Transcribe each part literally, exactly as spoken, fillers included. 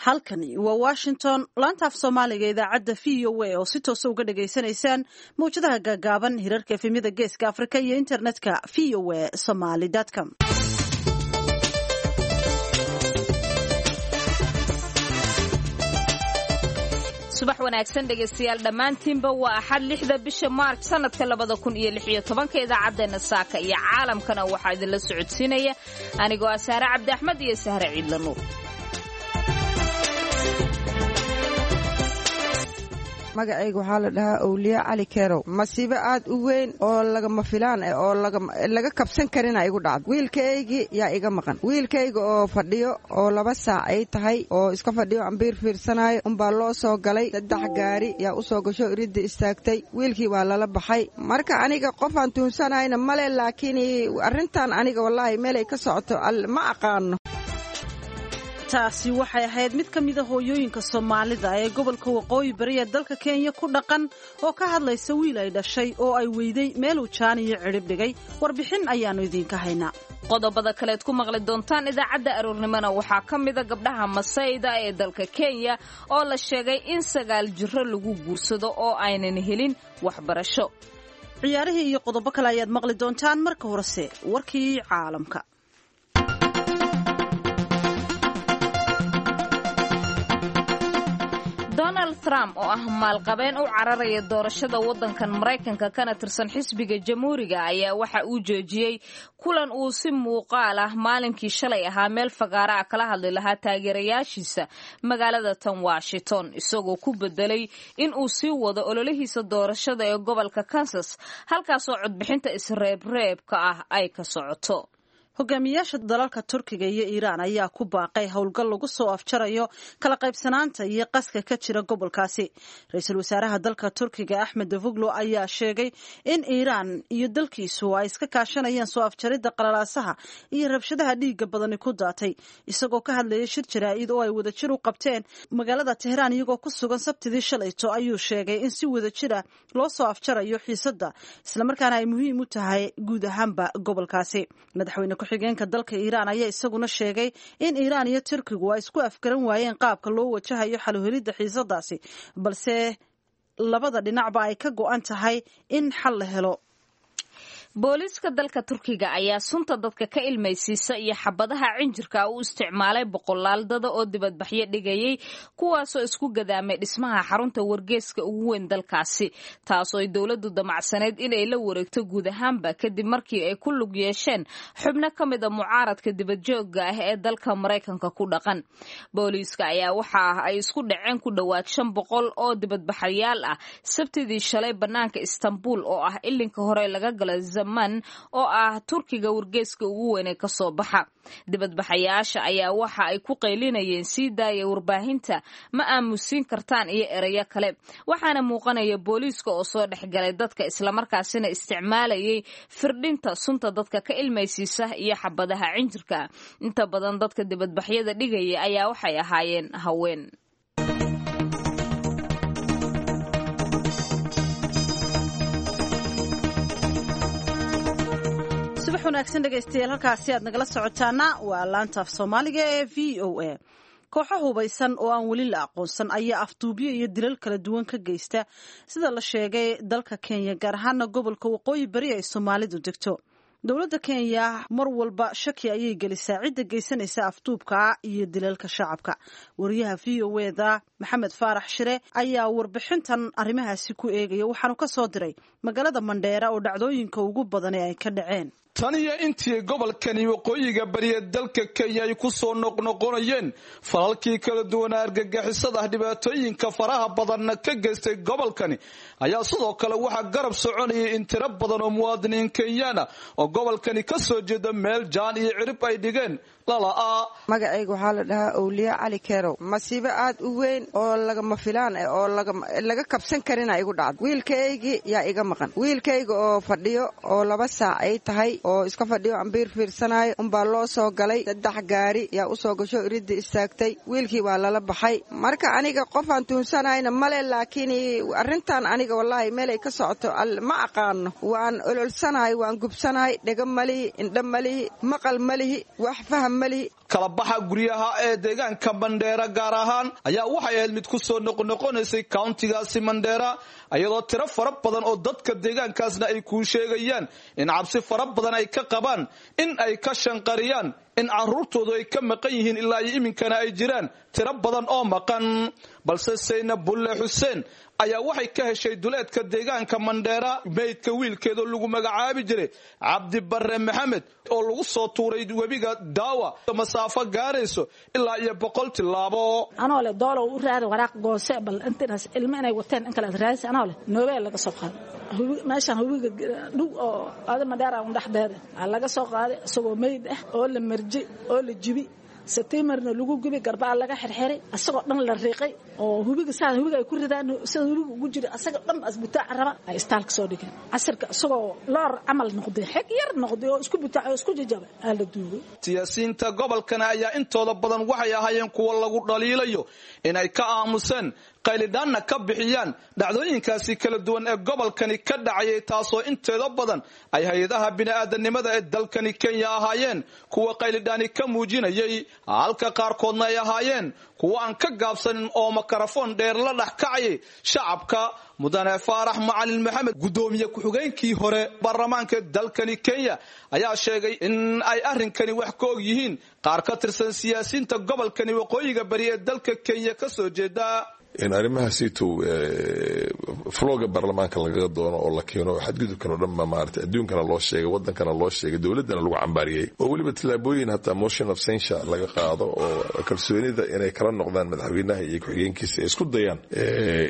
Halkani waa Washington, laanta af Soomaaliga, idaacadda V O A oo si toosa uga dhagaysanaysaan mawjadaha gaagaaban, hirarka efemyada Geeska Afrika iyo internetka V O A Somali com. Subax wanaagsan, dhegaystayaal dhammaantiinba. Waa Axad, lixda bisha Maarj, sanadka labada kun iyo lix iyo tobanka. Idaacaddeenna saaka iyo caalamkana waxaa idinla socodsiinaya anigoo ah Sahre Cabdi Axmed iyo Sahre Ciidla Nuur. Magacayga waxaa la dhahaa Owliye Cali Kerow. Masiibo aad u weyn oo lagama filaan ah oo laga kabsan karina igu dhacda. Wiilkaygii yaa iga maqan. Wiilkayga oo fadhiyo oo laba saac ay tahay oo iska fadhiyo, ambiir fiirsanayo, unbaa loo soo galay. Saddex gaari yaa u soo gasho, iridda istaagtay. Wiilkii waa lala baxay. Marka aniga qofaan tuunsanayna male, laakiin arrintan aniga wallaahi meelay ka socoto ma aqaano. Taasi waxay ahayd mid ka mida hooyooyinka Soomaalida ee gobolka Waqooyi Bari ee dalka Kenya ku dhaqan oo ka hadlaysa wiil ay dhashay oo ay weyday meeluu jaan iyo cidhib dhigay. Warbixin ayaannu idiinka haynaa. Qodobada kaleed ku maqli doontaan idaacadda aroornimona waxaa ka mida gabdhaha Masayda ee dalka Kenya oo la sheegay in sagaal jiro lagu guursado oo aynan helin waxbarasho. Ciyaarihii iyo qodobo kale ayaad maqli doontaan. Marka horese warkii caalamka. Donald Trump oo ah maalqabeen u cararaya doorashada waddankan Maraykanka kana tirsan xisbiga Jamhuuriga ayaa waxa uu joojiyey kulan uu si muuqaal ah maalinkii shalay ahaa meel fagaara ah kala hadli lahaa taageerayaashiisa magaalada tan Washington, isagoo ku bedelay in uu sii wado ololihiisa doorashada ee gobolka Kansas, halkaasoo codbixinta isreebreebka ah ay ka socoto. Hogaamiyaasha dalalka Turkiga iyo Iiraan ayaa ku baaqay howlgal lagu soo afjarayo kala qaybsanaanta iyo qaska ka jira gobolkaasi. Ra-iisul wasaaraha dalka Turkiga Axmed Davoglo ayaa sheegay in Iiraan iyo dalkiisu ay iska kaashanayaan soo afjaridda qalalaasaha iyo rabshadaha dhiigga badani ku daatay. Isagoo ka hadlayay shir jaraa'id oo ay wadajir u qabteen magaalada Tehraan iyagoo ku sugan Sabtidii shalayto, ayuu sheegay in si wadajira loo soo afjarayo xiisadda, islamarkaana ay muhiim u tahay guud ahaanba gobolkaasi. Madaxweyne ku-xigeenka dalka Iiraan ayaa isaguna sheegay in Iiraan iyo Turkigu ay isku afgaran waayeen qaabka loo wajahayo xaluhelidda xiisadaasi, balse labada dhinacba ay ka go'an tahay in xal la helo. Booliiska dalka Turkiga ayaa sunta dadka ka ilmaysiisa iyo xabadaha cinjirka u isticmaalay boqolaal dada oo dibadbaxyo dhigayay, kuwaasoo isku gadaamay dhismaha xarunta wargeeska ugu weyn dalkaasi, taasoo ay dowladdu damacsaneyd inay la wareegto guud ahaanba, kadib markii ay ku lug yeesheen xubno ka mid a mucaaradka dibadjoogga ah ee dalka Maraykanka ku dhaqan. Booliiska ayaa waxa ay isku dhaceen ku dhowaad shan boqol oo dibadbaxayaal ah Sabtidii shalay bannaanka Istanbul oo ah ilinka hore laga gala Zaman oo ah Turkiga wargeeska ugu weyn ee kasoo baxa. Dibadbaxayaasha ayaa waxa ay ku qaylinayeen "Sii daaya warbaahinta, ma aamusiin kartaan" iyo erayo kale, waxaana muuqanaya booliiska oo soo dhexgalay dadka, islamarkaasina isticmaalayay firdhinta sunta dadka ka ilmaysiisa iyo xabadaha cinjirka. Inta badan dadka dibadbaxyada dhigaya ayaa waxay ahaayeen haween. Subax wanaagsan, dhegaystayaal. Halkaasi aad nagala socotaana waa laanta af Soomaaliga ee V O A. Kooxo hubaysan oo aan weli la aqoonsan ayaa afduubyo iyo dilal kala duwan ka geysta, sida la sheegay, dalka Kenya, gaar ahaana gobolka Waqooyi Bari ay Soomaalidu degto. Dowladda Kenya mar walba shaki ayay gelisaa cidda geysanaysa afduubka iyo dilalka shacabka. Wariyaha V O eda Maxamed Faarax Shire ayaa warbixintan arrimahaasi ku eegaya, waxaanu ka soo diray magaalada Mandheera oo dhacdooyinka ugu badani ay ka dhaceen. Tan iyo intii gobolkani waqooyiga bariya dalka Kenya ay ku soo noqnoqonayeen falalkii kala duwanaa argagixisada, dhibaatooyinka faraha badanna ka geystay gobolkani, ayaa sidoo kale waxaa garab soconayay in tiro badan oo muwaadiniin Kenyaana oo gobolkani ka soo jeeda meel jaan iyo cirib ay dhigeen lala'aa. Magacayga waxaa la dhahaa Owliye Cali Kerow. Masiibo aad u weyn oo lagama filaan ah oo laga kabsan karina igu dhacda. Wiilkaygii yaa iga maqan. Wiilkayga oo fadhiyo oo laba saac ay tahay oo iska fadhiyo, ambiir fiirsanayo, unbaa loo soo galay. Saddex gaari yaa u soo gasho, iridda istaagtay. Wiilkii waa lala baxay. Marka aniga qofaan tuunsanayna male, laakiin arrintan aniga wallaahi meelay ka socoto ma aqaano. Waan ololsanahay, waan gubsanahay. Dhega malihi, indho malihi, maqal malihi, wax faham malihi. Kala baxa guryaha ee deegaanka Mandheera gaar ahaan ayaa waxay ahayd mid ku soo noqnoqonaysay countigaasi Mandheera, iyadoo tiro fara badan oo dadka deegaankaasna ay kuu sheegayaan in cabsi fara badan ay ka qabaan in ay ka shanqariyaan in caruurtoodu ay ka maqan yihiin ilaa iyo iminkana ay jiraan tiro badan oo maqan. Balse Saynab Bulle Xuseen ayaa waxay ka heshay duleedka deegaanka Mandheera meydka wiilkeedoo lagu magacaabi jiray Cabdi Barre Maxamed oo lagu soo tuuray webiga Daawa masaafo gaarayso ilaa iyo boqol tilaabo. Anoo leh doolow u raadi waraaq goose bal intaas ilmo inay wateen in kale aad raadis anoo leh noobeel laga soo qaaday meeshan webiga dhug oo aada Mandheera un dhexdeeda laga soo qaaday isagoo meyd ah oo la marjay oo la jibi satiimarna lagu gubi garbaa laga xirxiray asagoo dhan la riiqay oo hubiga saa hubiga ay ku ridaan sida hubiga ugu jira asaga dhan asbitaac raba ay istaalka soo dhigeen casirka isagoo loor camal noqday xig yar noqday oo isku bitaac oo isku jajabay aa la duugay. Siyaasiyiinta gobolkana ayaa intooda badan waxay ahaayeen kuwa lagu dhaliilayo inay ka aamuseen qaylidhaanna ka bixiyaan dhacdooyinkaasi kala duwan ee gobolkani ka dhacayay, taasoo inteeda badan ay hay-adaha bini'aadanimada ee dalkani Kenya ahaayeen kuwa qaylidhaani ka muujinayay, halka qaarkoodna ay ahaayeen kuwa aan ka gaabsanin oo makarafoon dheer la dhex kacayay shacabka. Mudane Faarax Macalin Maxamed, gudoomiye ku-xigeenkii hore baarlamaanka dalkani Kenya, ayaa sheegay in ay arrinkani wax ka og yihiin qaar ka tirsan siyaasiyiinta gobolkani waqooyiga bari ee dalka Kenya ka soo jeeda. In arrimahaasiitow flooga baarlamaanka lagaga doono oo la keeno xadgudubkan oo dhan ba maarata adduunkana loo sheegay, wadankana loo sheegay, dowladdana lagu cambaariyey oo weliba tallaabooyin hataa motion of censure laga qaado oo kalsoonida inay kala noqdaan madaxweynaha iyo ku-xigeenkiisa ay isku dayaan.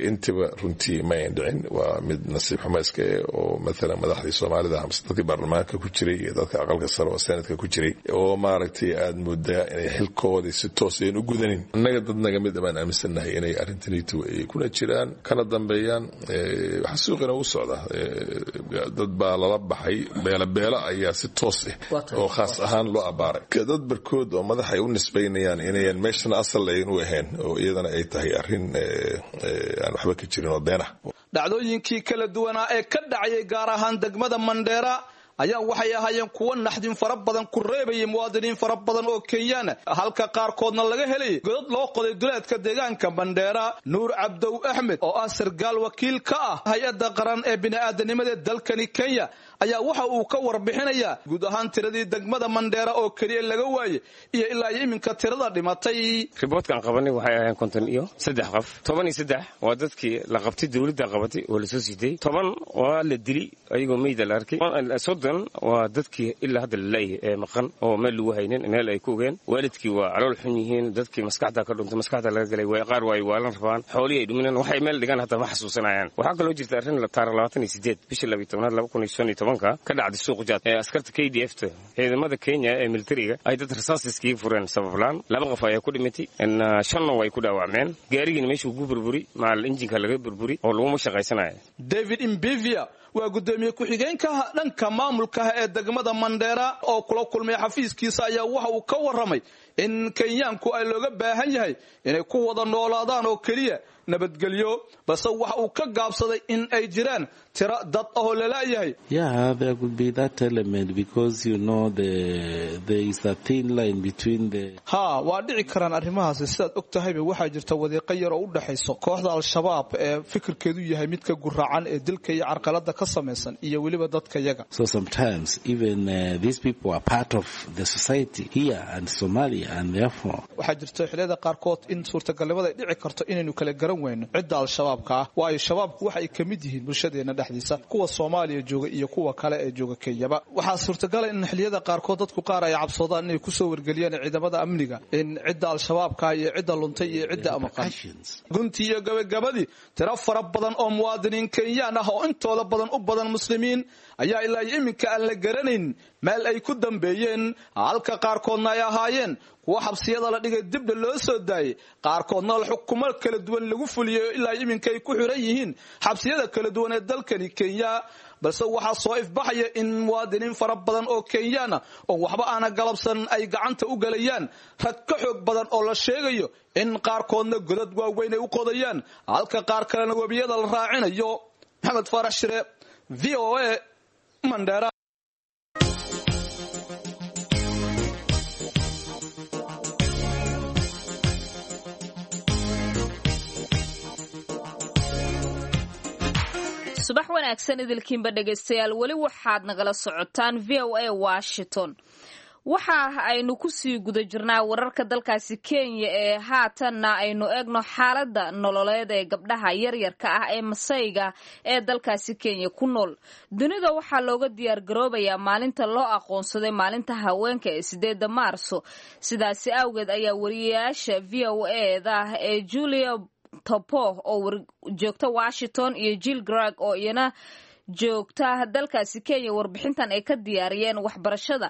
Intiba runtii ma ayan dhicin. Waa mid nasiib xumo iska eh oo mathalan madaxdii Soomaalida amase dadkii baarlamaanka ku jiray iyo dadka aqalka sare oo senatka ku jiray oo maaragtay aada moodaa inay xilkoodii si toos ayan u gudanin. Annaga dad naga mid baan aaminsannahay inay arrintan ay kuna jiraan kana dambeeyaan. Waxa suuqina u socda dad baa lala baxay beela beela ayaa si toos ah oo khaas ahaan loo abaaray dad barkood oo madax ay u nisbaynayaan inayan meeshana asal ayan u ahayn oo iyadana ay tahay arrin aan waxba ka jirin oo been ah. Dhacdooyinkii kala duwanaa ee ka dhacayay gaar ahaan degmada Mandheera ayaa waxay ahaayeen kuwo naxdin fara badan ku reebayay muwaadiniin fara badan oo Kenyaan, halka qaarkoodna laga helay godad loo qoday duleedka deegaanka Mandheera. Nuur Cabdow Axmed oo ah sargaal wakiil ka ah hay-adda qaran ee bini'aadanimada dalkani Kenya ayaa waxa uu ka warbixinayaa guud ahaan tiradii degmada Mandheera oo keliya laga waayey iyo ilaa iyo iminka tirada dhimatay. Riboodkan qabanay waxay ahaayeen konton iyo saddex qof. Toban iyo saddex waa dadkii la qabtay, dowladda qabatay oo lasoo siitay. Toban waa la dili ayagoo meyda la arkay. Soddon waa dadkii ilaa hadda la la'yahay ee maqan oo meel lagu haynin, meel ay ku ogeen. Waalidkii waa calool xun yihiin, dadkii maskaxda ka dhuntay, maskaxda laga galay, way qaar way waalan rabaan, xoolihii ay dhumineen, waxay meel dhigaan hataa ma xasuusanayaan. Waxaa kaloo jirta arrin taariikh labaatan iyo sideed bishii labiyo tobnaad laba kun iyo shan iyo tobanka ka dhacday suuq jaad ee askarta K D F ta ciidamada Kenya ee militariga ay dad rasaas iskaga fureen sabab la'aan. Laba qof ayaa ku dhimatay, shanna way ku dhaawacmeen. Gaarigiina meeshuu ku burburi maal injinka laga burburi oo laguma shaqaysanayo. David Mbivia waa gudoomiye ku-xigeenka dhanka maamulka ee degmada Mandheera oo kula kulmay xafiiskiisa ayaa waxa uu ka warramay in Kenyaanku ay looga baahan yahay inay ku wada noolaadaan oo keliya nabadgelyo, balse waxa uu ka gaabsaday in ay jiraan tiro dad ah oo la la'yahay. Yeah, there could be that element because you know the there is a thin line between the Ha, waa dhici karaan arrimahaasi. Sidaad og tahayba waxaa jirta wadiiqo yar oo u dhaxayso kooxda Al-Shabaab ee fikirkeedu yahay midka guraacan ee dilka iyo carqalada ka samaysan iyo weliba dadka yaga. So sometimes even uh, these people are part of the society here and Somalia and therefore waxaa jirta xilliyada qaarkood in suurtagalnimada ay dhici karto inaynu kala garan weyno cidda Al-Shabaabka ah, waayo shabaabku waxa ay ka mid yihiin bulshadeena dhexdiisa, kuwa Soomaaliya jooga iyo kuwa kale ee jooga Kenyaba. Waxaa suurtagal ah in xilliyada qaarkood dadku qaar ay cabsoodaan inay kusoo wargeliyaan ciidamada amniga in cidda Al-Shabaabka iyo cidda luntay iyo cidda amaqan. Guntii iyo gabagabadii tiro fara badan oo muwaadiniin Kenyaan ah oo intooda badan u badan muslimiin ayaa ilaa iminka aan la garanayn meel ay ku dambeeyeen, halka qaarkoodna ay ahaayeen kuwa xabsiyada la dhigay dibna loo soo daayay, qaarkoodna xukumo kala duwan lagu fuliyay ilaa iminka ay ku xiran yihiin xabsiyada kala duwan ee dalkani Kenya. Balse waxaa soo ifbaxaya in muwaadiniin fara badan oo Kenyaan ah oo waxba aana galabsan ay gacanta u galayaan rag ka xoog badan oo la sheegayo in qaarkoodna godad waaweyn ay u qodayaan, halka qaar kalena webiyada la raacinayo. Maxamed Faarax Shire, V O A, Mandera. Subax wanaagsan idilkiinba dhegaystayaal, weli waxaad nagala socotaan V O A Washington. Waxa aynu kusii guda jirnaa wararka dalkaasi Kenya ee haatanna aynu eegno xaaladda nololeed ee gabdhaha yaryarka ah ee Masayga ee dalkaasi Kenya ku nool. Dunida waxaa looga diyaargaroobayaa maalinta loo aqoonsaday maalinta haweenka ee sideedda Maarso. Sidaasi awgeed ayaa wariyayaasha V O A-da ee Julia Topo oo joogta Washington iyo Jill Greg oo iyana joogta dalkaasi Kenya warbixintan ay ka diyaariyeen waxbarashada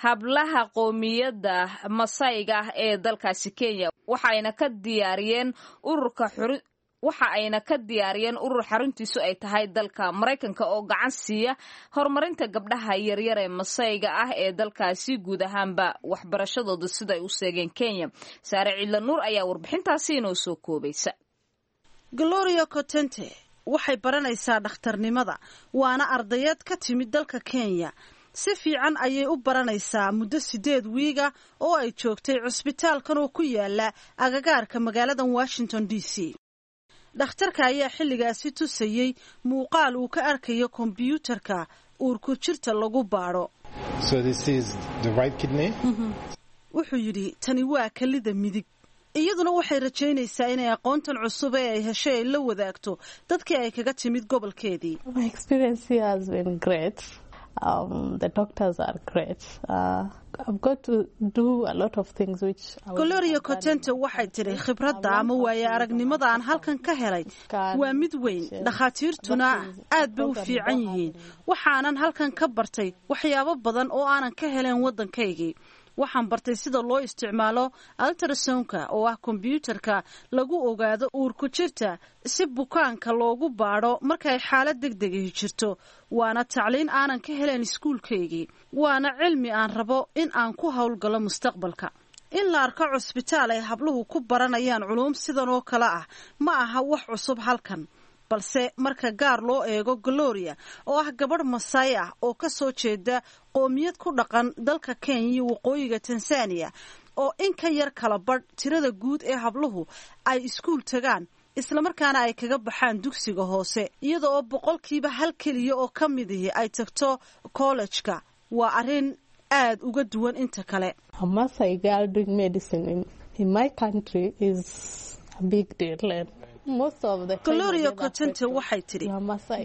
hablaha qoomiyadda Masayga ah ee dalkaasi Kenya. Waxayna ka diyaariyeen ururka waxa ayna ka diyaariyeen urur xaruntiisu ay tahay dalka Maraykanka oo gacan siiya horumarinta gabdhaha yaryar ee Masayga ah ee dalkaasi guud ahaanba waxbarashadooda sida ay u seegeen Kenya. Saare Ciidla Nuur ayaa warbixintaasi inoo soo koobaysa. Gloria Cotente waxay baranaysaa dhakhtarnimada, waana ardayeed ka timid dalka Kenya. Si fiican ayay u baranaysaa muddo sideed wiiga oo ay joogtay cusbitaalkan oo ku yaala agagaarka magaalada Washington D C. Dhakhtarka ayaa xilligaasi tusayey muuqaal uu ka arkayo kombiyuutarka uurku jirta lagu baadho. Wuxuu yidhi tani waa kelida midig. Iyaduna waxay rajaynaysaa inay aqoontan cusub ee ay heshay ay la wadaagto dadkii ay kaga timid gobolkeedii. Um, the doctors are great. Uh, I've got to do a lot of things which Gloria Cotente waxay tiri khibradda ama waayo aragnimada aan halkan ka helay waa mid weyn, dhakhaatiirtuna aad bay u fiican yihiin. Waxaanan halkan ka bartay waxyaabo badan oo aanan ka helen waddankaygii. Waxaan bartay sida loo isticmaalo ultrasonka oo ah kombiyuutarka lagu ogaado uurku jirta si bukaanka loogu baadho markay xaalad degdegahi jirto. Waana tacliin aanan ka helen iskuulkaygii, waana cilmi aan rabo in aan ku howlgalo mustaqbalka. In la arko cusbitaal ay habluhu ku baranayaan culuum sidan oo kale ah ma aha wax cusub halkan, balse marka gaar loo eego Gloria oo ah gabadh Masai ah oo ka soo jeeda qoomiyad ku dhaqan dalka Kenya iyo waqooyiga Tanzania oo in ka yar kala badh tirada guud ee habluhu ay iskuul tagaan islamarkaana ay kaga baxaan dugsiga hoose, iyada oo boqolkiiba hal keliya oo ka mid ihi ay tagto kollejka. Waa arrin aad uga duwan inta kale. A Masai girl doing medicine in, in my country is a big deal. Gloria Cotente waxay tidhi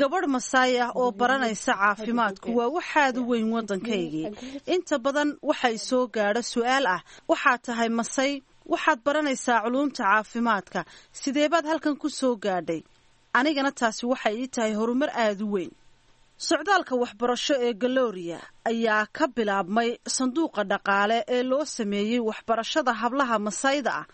gabadh Masaai ah oo baranaysa caafimaadku waa waxaad u weyn waddankaygii. Inta badan waxay soo gaadho su'aal ah, waxaad tahay Masai, waxaad baranaysaa culuumta caafimaadka, sidee baad halkan ku soo gaadhay? Anigana taasi waxay ii tahay horumar aad u weyn. Socdaalka waxbarasho ee Gloria ayaa ka bilaabmay sanduuqa dhaqaale ee loo sameeyey waxbarashada hablaha Masayda ah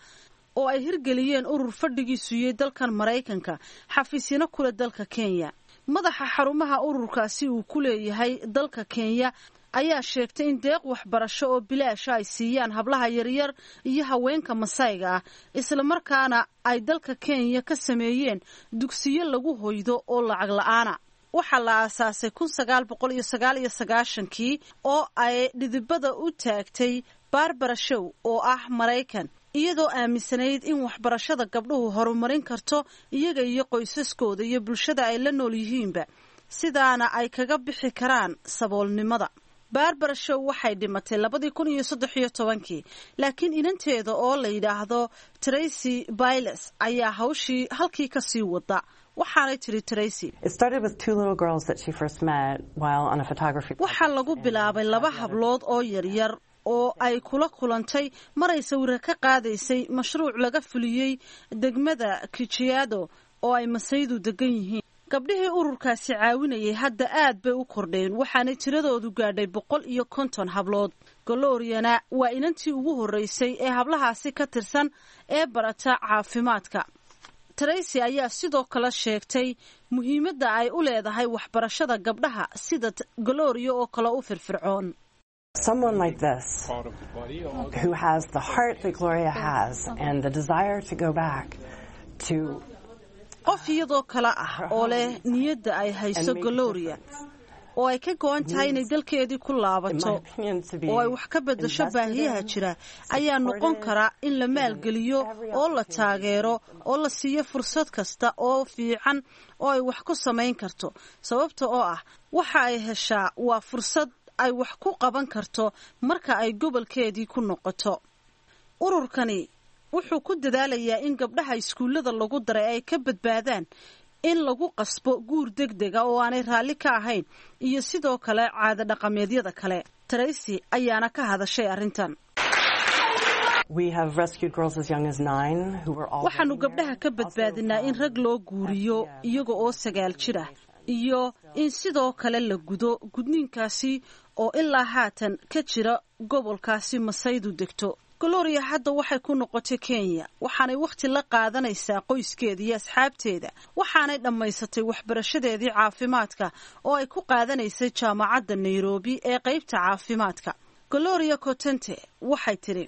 oo ay hirgeliyeen urur fadhigiisu yahay dalkan Maraykanka, xafiisyana kule dalka Kenya. Madaxa xarumaha ururkaasi uu ku leeyahay dalka Kenya ayaa sheegtay in deeq waxbarasho oo bilaasha ay siiyaan hablaha yaryar iyo haweenka Masayga ah, islamarkaana ay dalka Kenya ka sameeyeen dugsiyo lagu hoydo oo lacag la'aana. Waxaa la aasaasay kun sagaal boqol iyo sagaal iyo sagaashankii oo ay dhidibada u taagtay Barbara Shaw oo ah Maraykan, iyadoo aaminsanayd in waxbarashada gabdhuhu horumarin karto iyaga iyo qoysaskooda iyo bulshada ay la nool yihiinba, sidaana ay kaga bixi karaan saboolnimada. Barbara Shaw waxay dhimatay labadii kun iyo saddex iyo tobankii, laakiin inanteeda oo la yidhaahdo Tracy Biles ayaa hawshii halkii ka sii wada. Waxaanay tiri Tracy, waxaa lagu bilaabay laba hablood oo yaryar oo ay kula kulantay maray sawira ka qaadaysay mashruuc laga fuliyey degmada Kijiado oo ay Masaydu degan yihiin. Gabdhihii ururkaasi caawinayay hadda aad bay u kordheen, waxaanay tiradoodu gaadhay boqol iyo konton hablood. Gloriana waa inantii ugu horreysay ee hablahaasi ka tirsan ee barata caafimaadka. Tracy ayaa sidoo kale sheegtay muhiimadda ay u leedahay waxbarashada gabdhaha sida Gloria oo kale u firfircoon. Someone like this, who has the heart that Gloria has and the desire to go back to qof iyadoo kale ah oo leh niyadda ay hayso Gloria Oo ay ka go-an tahay inay dalkeedii ku laabato oo ay wax ka beddasho baahiyaha jira ayaa noqon kara in la maalgeliyo oo la taageero oo la siiyo fursad kasta oo fiican oo ay wax ku samayn karto, sababta oo ah waxa ay heshaa waa fursad ay wax ku qaban karto marka ay gobolkeedii ku noqoto. Ururkani wuxuu ku dadaalayaa in gabdhaha iskuullada lagu daray ay ka badbaadaan in lagu qasbo guur degdega oo aanay raalli ka ahayn iyo sidoo kale caado dhaqameedyada kale. Tracy ayaana ka hadashay arrintan. Waxaanu gabdhaha ka badbaadinaa in rag loo guuriyo iyaga oo sagaal jir ah iyo in sidoo kale la gudo gudniinkaasi oo ilaa haatan ka jira gobolkaasi Masaydu degto. Gloria hadda waxay ku noqotay Kenya, waxaanay wakhti la qaadanaysaa qoyskeeda iyo asxaabteeda, waxaanay dhammaysatay waxbarashadeedii caafimaadka oo ay ku qaadanaysay jaamacadda Nairobi ee qaybta caafimaadka. Gloria Cotente waxay tidhi: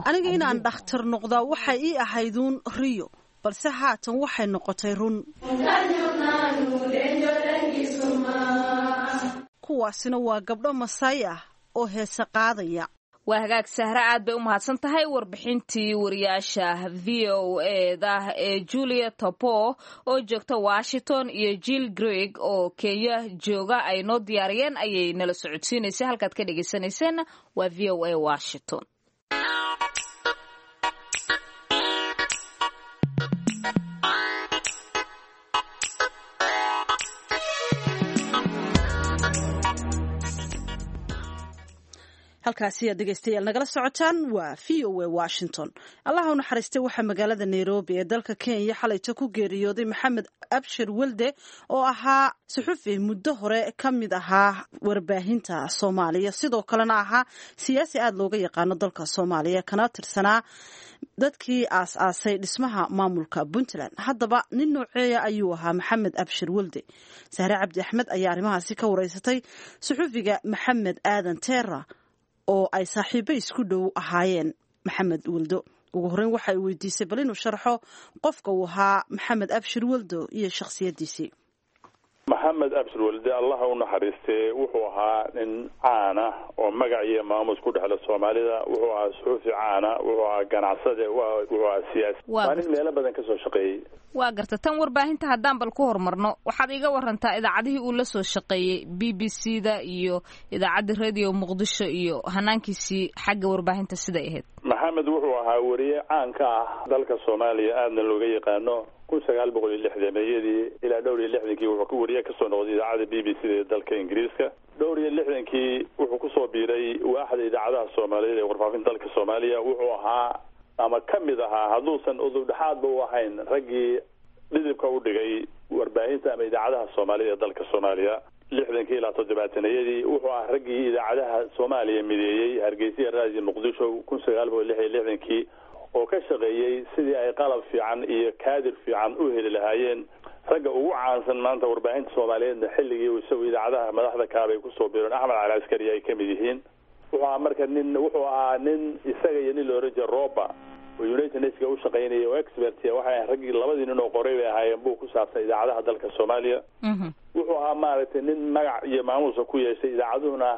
"Aniga inaan dhakhtar noqdaa waxay ii ahayduun riyo, balse haatan waxay noqotay run." Kuwaasina waa gabdho Masay ah oo heese qaadaya. Waa hagaag, Sahre, aad bay u mahadsan tahay. Warbixintii wariyaasha V O E da ee Julia Topo oo joogta Washington iyo Jill Greg oo Kenya jooga ay noo diyaariyeen ayay nala socodsiinaysay. Halkaad ka dhegaysaneyseen waa V O A Washington. Halkaasi aad dhegeystayaal nagala socotaan waa V O A Washington. Allaha u naxariistay, waxaa magaalada Nairobi ee dalka Kenya xalayto ku geeriyooday Maxamed Abshir Welde oo ahaa suxufi muddo hore ka mid ahaa warbaahinta Soomaaliya, sidoo kalena ahaa siyaasi aada looga yaqaano dalka Soomaaliya, kana tirsanaa dadkii aas-aasay dhismaha maamulka Puntland. Haddaba nin nooceeya ayuu ahaa Maxamed Abshir Welde? Sahre Cabdi Axmed ayaa arrimahaasi ka wareysatay suxufiga Maxamed Aadan Teera oo ay saaxiibo isku dhow ahaayeen Maxamed Weldo. Ugu horreyn waxa ay weydiisay bal inuu sharxo qofka uu ahaa Maxamed Abshir Weldo iyo shakhsiyaddiisii. Maxamed Abshir Welde, Allaha u naxariistee, wuxuu ahaa nin caana oo magac iyo maamus ku dhexla Soomaalida. Wuxuu ahaa suxufi caana, wuxuu ahaa ganacsade, wuxuu ahaa siyaasi, waa nin meelo badan kasoo shaqeeyey. Waa garta. Tan warbaahinta haddaan bal ku horumarno, waxaad iiga warantaa idaacadihii uu la soo shaqeeyey, B B C da iyo idaacadda Radio Muqdisho, iyo hanaankiisii xagga warbaahinta siday ahayd. Maxamed wuxuu ahaa weriye caan ka ah dalka Soomaaliya, aadna looga yaqaano. Kun sagaal boqol iyo lixdameeyadii ilaa dhowr iyo lixdankii wuxuu ka weriye kasoo noqday idaacadda B B C da ee dalka Ingiriiska. Dhowr iyo lixdankii wuxuu kusoo biiray waaxda idaacadaha Soomaaliyeed ee warfaafinta dalka Soomaaliya. Wuxuu ahaa ama ka mid ahaa, hadduusan udub dhexaadba u ahayn, raggii dhidibka u dhigay warbaahinta ama idaacadaha Soomaalida ee dalka Soomaaliya. Lixdankii ilaa toddobaatanayadii wuxuu ahaa raggii idaacadaha Soomaaliya mideeyey, Hargeysa, Raadiyo Muqdisho, kun sagaal boqol lix iyo lixdankii, oo ka shaqeeyey sidii ay qalab fiican iyo kaadir fiican u heli lahaayeen. Ragga ugu caansan maanta warbaahinta Soomaaliyeedna xilligii isagu idaacadaha madaxda kaabay kusoo biireen, Axmed Cali Askari ay ka mid yihiin. Wuxuu ahaa marka nin, wuxuu ahaa nin isaga iyo nin la oran jiray Roba oo United Nationska u shaqaynayay oo expert, waxay ahayn raggii labadii nin oo qoray bay ahaayeen buu ku saabsan idaacadaha dalka Soomaaliya. Wuxuu ahaa maaragtay nin magac iyo maamuusa ku yeeshay idaacaduhuna,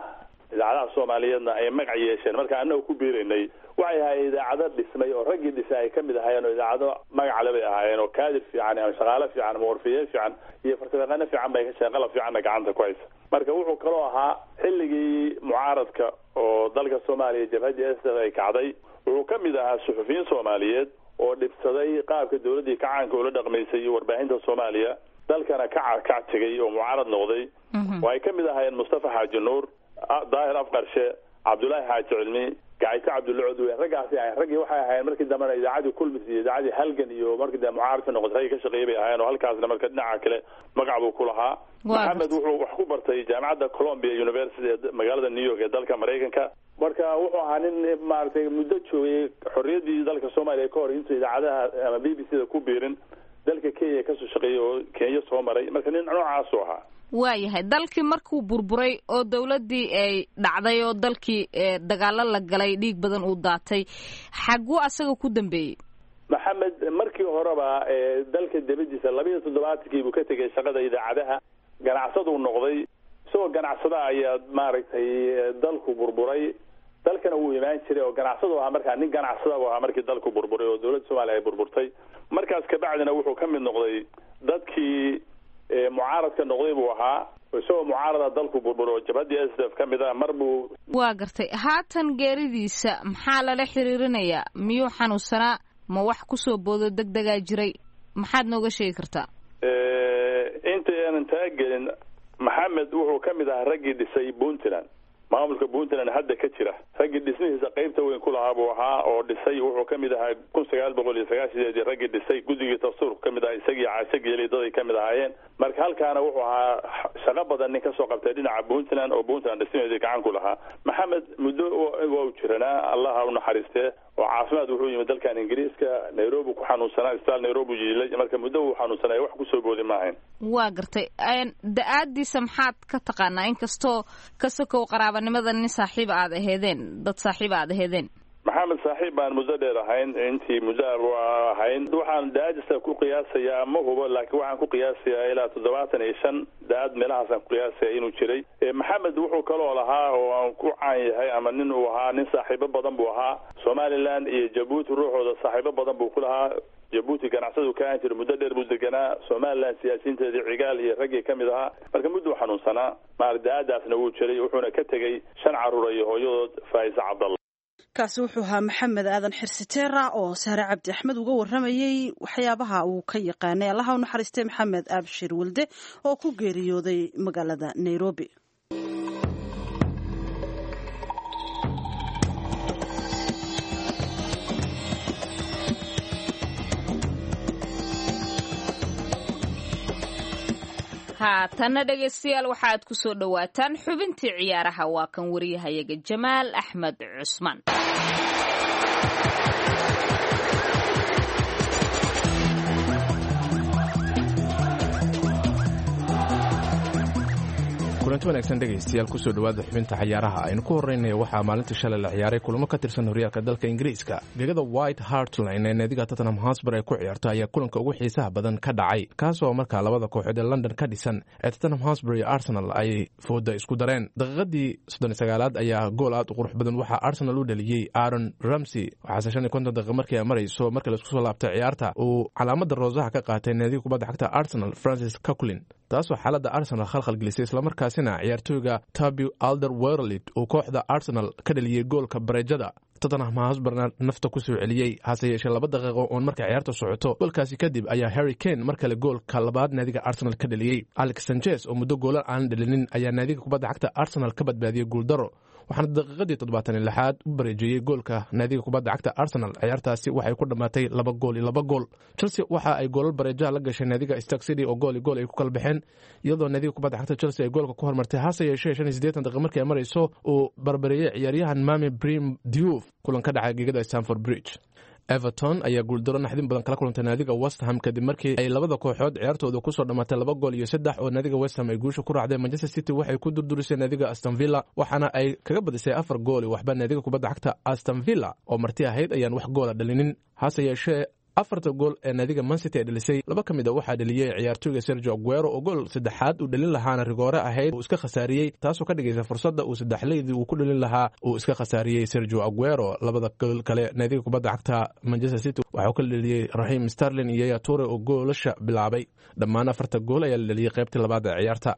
idaacadaha Soomaaliyeedna ay magac yeesheen. Marka annaga ku biiraynay waxay ahaayeen idaacado dhismay oo raggii dhisay ay ka mid ahaayeen, oo idaacado magacale bay ahaayeen oo kaadir fiican ama shaqaale fiican ama warfiye fiican iyo farsamayaqaano fiican bay ka shaqeen, qalab fiicanna gacanta ku haysa. Marka wuxuu kaloo ahaa xilligii mucaaradka oo dalka Soomaaliya jabhaddii S ay kacday, wuxuu ka mid ahaa suxufiyiin Soomaaliyeed oo dhibsaday qaabka dowladdii kacaanka ula dhaqmaysay iyo warbaahinta Soomaaliya, dalkana ka kac tegay oo mucaarad noqday, oo ay ka mid ahaayeen Mustafa Xaaji Nuur, Daahir Afqarshe, Cabdullaahi Xaaji Cilmi, Gacayto Cabdulla Codwe. Raggaasi ahayn raggii waxay ahaayeen markii dambena idaacadii Kulmis iyo idaacadii Halgan iyo markii dambe mucaaradka noqotay raggii ka shaqeeyay bay ahaayeen, oo halkaasna marka dhinaca kale magac buu ku lahaa. Maxamed wuxuu wax ku bartay jaamacadda Columbia University ee magaalada New York ee dalka Maraykanka. Marka wuxuu ahaa nin maaragtay muddo joogay xorriyaddii dalka Soomaaliya ka hor intuu idaacadaha ama B B C da ku biirin dalka Kenya kasoo shaqeeyay oo Kenya soo maray. Marka nin noocaasuu ahaa. Waayahay. Dalkii markuu burburay oo dowladdii ay dhacday oo dalkii dagaalo la galay, dhiig badan uu daatay, xaguu asaga ku dambeeyey? Maxamed markii hore horeba dalka dibadiisa labiiyo toddobaatankii buu ka tegay shaqada idaacadaha, ganacsaduu noqday. Isagoo ganacsada ayaa maaragtay dalku burburay, dalkana wuu imaan jiray oo ganacsadu ahaa. Markaa nin ganacsada buu ahaa markii dalku burburay oo dowladda Soomaaliya ay burburtay. Markaas kabacdina wuxuu ka mid noqday dadkii mucaaradka noqday buu ahaa. Isagoo mucaarada dalku burburo oo jabhaddii S D F ka mid ah mar buu. Waa gartay. Haatan geeridiisa maxaa lala xiriirinayaa? Miyuu xanuunsanaa? Ma wax kusoo boodo deg degaa jiray? Maxaad nooga sheegi kartaa? Inta aanan taagelin, Maxamed wuxuu ka mid ahaa raggii dhisay Puntland, maamulka Puntland hadda ka jira raggii dhismihiisa qaybta weyn ku lahaa buu ahaa oo dhisay. Wuxuu ka mid ahaa kun sagaal boqol iyo sagaashadeedii raggii dhisay guddigii dastuurku ka mid ahaa, isagii Caashe daday ka mid ahaayeen. Marka halkaana wuxuu ahaa shaqo badan nin kasoo qabtay dhinaca Puntland oo Puntland dhismaheedii gacan ku lahaa. Maxamed muddo waa u jiranaa, Allaha u naxariistee, oo caafimaad wuxuu yimid dalkan Ingiriiska, Nairobi ku xanuunsanaa, isbitaal Nairobi yiilay. Marka muddo wuu xanuunsanaya, wax kusoo boodi maahayn. Waa gartay. Da-aadiisa maxaad ka taqaanaa, inkastoo ka sokow qaraabanimada nin saaxiib aad aheedeen, dad saaxiib aad aheedeen? Maxamed saaxiib baan muddo dheer ahayn, intii muddo ahayn. Waxaan da-aadiisa ku qiyaasayaa, ma hubo, laakiin waxaan ku qiyaasayaa ilaa toddobaatan iyo shan da-aad meelahaasaan ku qiyaasaya inuu jiray. Maxamed wuxuu kaloo lahaa oo aan ku caan yahay ama nin uu ahaa nin saaxiibo badan buu ahaa. Somaliland iyo Jabuuti ruuxooda saaxiibo badan buu ku lahaa. Jabuuti ganacsadu ka ahan jiray, muddo dheer buu deganaa. Somaliland siyaasiyiinteedii Cigaal iyo raggii ka mid ahaa. Marka mudduu xanuunsanaa, maar da-aadaasna wuu jiray. Wuxuuna ka tegey shan carruur iyo hooyadood Faa'isa Cabdalla. Kaasi wuxuu ahaa Maxamed Aadan Xirsiteera oo Sahre Cabdi Axmed uga waramayey waxyaabaha uu ka yaqaanay Allaha u naxariistay Maxamed Abshir Welde oo ku geeriyooday magaalada Nairobi. Haatanna dhegaystayaal, waxaad ku soo dhowaataan xubintii ciyaaraha. Waa kan wariyahayaga Jamaal Axmed Cusmaan. Kulanti wanaagsan dhegaystayaal, kusoo dhowaada xubinta cayaaraha. Aynu ku horreynaya waxaa maalintii shalay la ciyaaray kulamo ka tirsan horyaalka dalka Ingiriiska. Gegada White Hart Lane ee naadiga Tottenham Hotspur ay ku ciyaarto ayaa kulanka ugu xiisaha badan ka dhacay, kaasoo markaa labada kooxood ee London ka dhisan ee Tottenham Hotspur iyo Arsenal ay fooda isku dareen. Daqiiqadii soddon iyo sagaalaad ayaa gool aad u qurux badan waxaa Arsenal u dhaliyey Aaron Ramsey. Waxaase shan iyo konton daqiiqa markii ay marayso marka laisku soo laabtay ciyaarta uu calaamada roosaha ka qaatay naadiga kubadda cagta Arsenal Francis Coquelin, taasoo xaaladda Arsenal khalkhal gelisay, islamarkaasina ciyaartooyga Toby Alderweireld uu kooxda Arsenal ka dhaliyey goolka bareejada, Tottenham Hotspurna nafta ku soo celiyey. Hase yeeshee laba daqiiqo oon marka ciyaarta socoto goolkaasi kadib ayaa Harry Kane mar kale goolka labaad naadiga Arsenal ka dhaliyey. Alex Sanchez oo muddo goolan aan dhalinin ayaa naadiga kubadda cagta Arsenal ka badbaadiyey guuldaro, waxaana daqiiqadii toddobaatan iyo lixaad u bareejeeyey goolka naadiga kubadda cagta Arsenal. Ciyaartaasi waxay ku dhammaatay laba gool iyo laba gool. Chelsea waxa ay goolal bareejaha la gashay naadiga Stoke City oo gool iyo gool ay ku kala baxeen, iyadoo naadiga kubadda cagta Chelsea ay goolka ku hormartay. Hase yeeshee shan iyo siddeetan daqiiq markii ay marayso uu barbareeyey ciyaaryahan Mame Brim Diouf. Kulan ka dhacay gegada Stamford Bridge, Everton ayaa guuldaro naxdin badan kala kulantay naadiga West Ham kadib markii ay labada kooxood ciyaartooda kusoo dhammaatay laba gool iyo saddex oo naadiga West Ham ay guusha ku raacday. Manchester City waxay ku durdurisay naadiga Aston Villa, waxaana ay kaga badisay afar gool iyo waxba. Naadiga kubadda cagta Aston Villa oo marti ahayd ayaan wax goola dhalinin. Hase yeeshee afarta gool ee naadiga Man City ay dhalisay, laba ka mid a waxaa dhaliyey ciyaartooyga Sergio Aguero oo gool saddexaad uu dhalin lahaana rigoore ahayd uu iska khasaariyey, taasoo ka dhigaysa fursadda uu saddexleydii uu ku dhalin lahaa uu iska khasaariyey Sergio Aguero. Labada gool kale naadiga kubadda cagta Manchester City waxaa ka dhaliyey Raheem Sterling iyo Yaya Toure oo goolasha bilaabay. Dhammaan afarta gool ayaa la dhaliyey qaybtii labaad ee ciyaarta.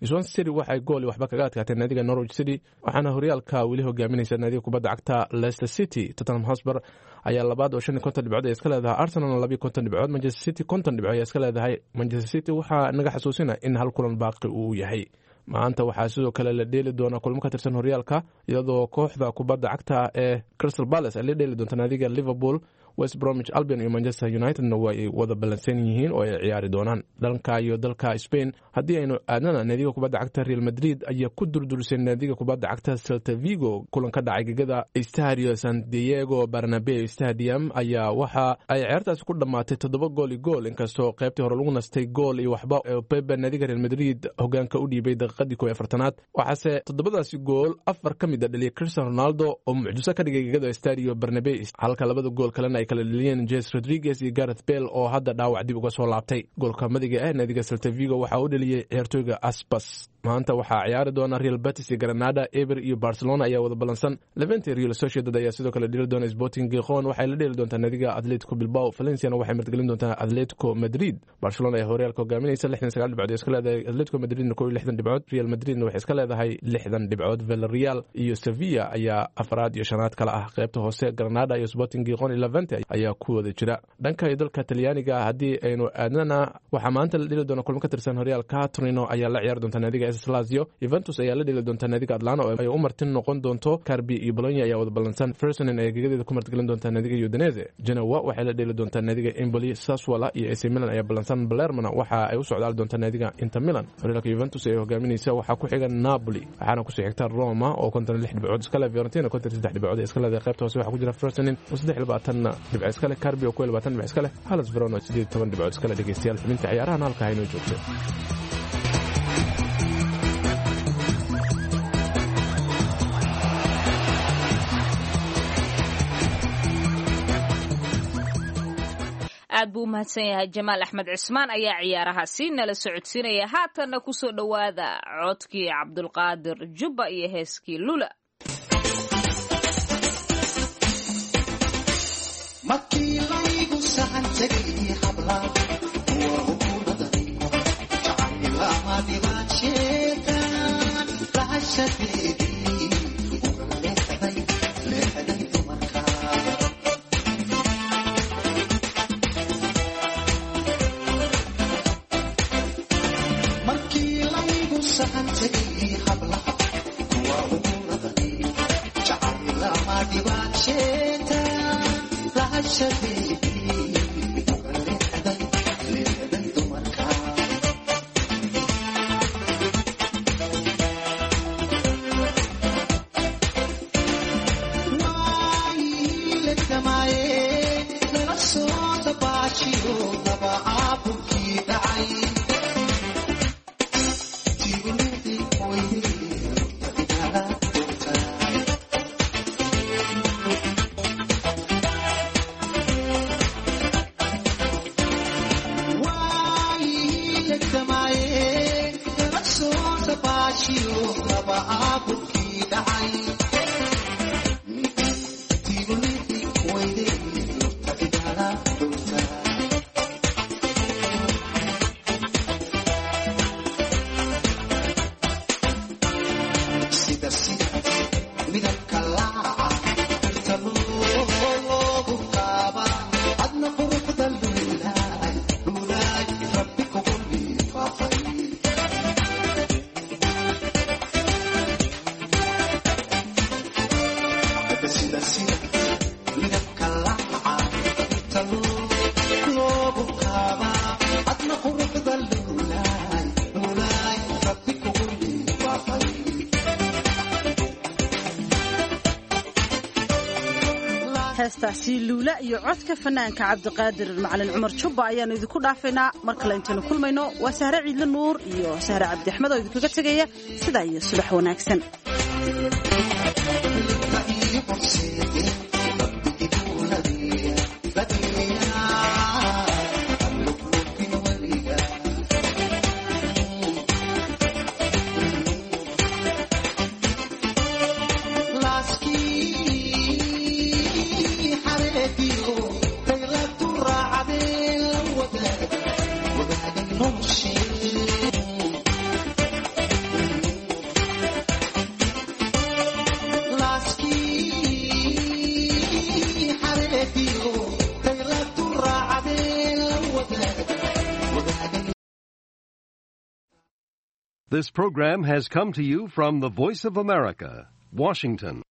Swansea City waxay gool iyo waxba kaga adkaatay naadiga Norwich City, waxaana horyaalka weli hogaaminaysa naadiga kubadda cagta Leicester City. Tottenham Hotspur ayaa labaad oo shan iyo konton dhibcood ay iska leedahay, Arsenalna laba iyo konton dhibcood, Manchester City konton dhibcood ayaa iska leedahay. Manchester City waxaa naga xasuusina in hal kulan baaqi uu yahay. Maanta waxaa sidoo kale la dheeli doonaa kulmo ka tirsan horyaalka, iyadoo kooxda kubadda cagta ee Crystal Palace ay la dheeli doonta naadiga Liverpool. West Bromwich Albion iyo Manchester Unitedna waa ay wada ballansan yihiin oo ay ciyaari doonaan. Dhanka iyo dalka Spain haddii aynu aadnana, naadiga kubadda cagta Real Madrid ayaa ku durdurisay naadiga kubadda cagta Celta Vigo. Kulan ka dhacay gegada Estadio San Diego Bernabeu Stadium ayaa waxa ay ciyaartaasi ku dhammaatay toddoba gool iyo gool, inkastoo qaybtii hore lagu nastay gool iyo waxba ee Pepe naadiga Real Madrid hogaanka u dhiibay daqiiqadii kow iyo afartanaad. Waxaase toddobadaasi gool afar ka mid a dhaliyay Cristiano Ronaldo oo mucjiso ka dhigay gegada Estadio Bernabeu, halka labada gool kalena ay kala dheliyeen Jes Rodriguez iyo Gareth Bale oo hadda dhaawac dib uga soo laabtay. Goolka madiga ah naadiga Celta Vigo waxaa u dheliyey ciyaartooyga Aspas. Maanta waxaa ciyaari doona Real Betis iyo Granada, Eber iyo Barcelona ayaa wada ballansan. Levante Real Sociedad ayaa sidoo kale dheli doona. Sporting Gijon waxay la dheeli doontaa naadiga Atletico Bilbao. Valenciana waxay martigelin doontaa Atletico Madrid. Barcelona ayaa horyaalka hogaaminaysa lixdan sagaal dhibcood iska leedahay, Atletico Madridna kow iyo lixdan dhibcood, Real Madridna waxay iska leedahay lixdan dhibcood. Villarreal iyo Sevilla ayaa afraad iyo shanaad kala ah. Qaybta hoose Granada iyo Sporting Gijon iyo Levante ayaa ku wada jira. Dhanka iyo dalka Talyaaniga haddii aynu aadnana, waxaa maanta la dheli doona kulmo ka tirsan horyaalka. Torino ayaa la ciyaari doonta naadiga Lazio, Juventus ayaa la dheli doonta naadiga Atlanta oo ay u martin noqon doonto. Carpi iyo Bologna ayaa wada ballansan. Frosinone ayaa gegadeeda ku martigelin doonta naadiga Udinese. Genoa waxay la dheli doontaa naadiga Empoli. Sassuolo iyo A C Milan ayaa ballansan. Palermona waxa ay u socdaali doontaa naadiga Inter Milan. Horyaalka Juventus ay hogaaminaysa, waxaa ku xiga Napoli, waxaana kusoo xigta Roma oo konton lix dhibcood iska leh, Fiorentina konton saddex dhibcood iska leedahay. Qaybta hoose waxaa ku jira Frosinone oo saddex labaatan dhibco iska leh, Carpi oo kow labaatan dhibco iska leh, Hellas Verona oo sideed toban dhibcood iska leh. Dhegeystayaal, xubinta ciyaarahan halka haynoo joogto. Aad buu u mahadsan yahay Jamaal Axmed Cismaan ayaa ciyaarahaasi nala socodsiinaya. Haatanna kusoo dhowaada codkii Cabdulqaadir Jubba iyo heeskii Lula. Heestaasi Luula iyo codka fanaanka Cabdiqaadir Macalin Cumar Jubba ayaanu idinku dhaafaynaa. Mar kale intaynu kulmayno, waa Sahre Ciidle Nuur iyo Sahre Cabdi Axmed oo idinkaga tegaya sidaa iyo subax wanaagsan. This program has come to you from the Voice of America, Washington.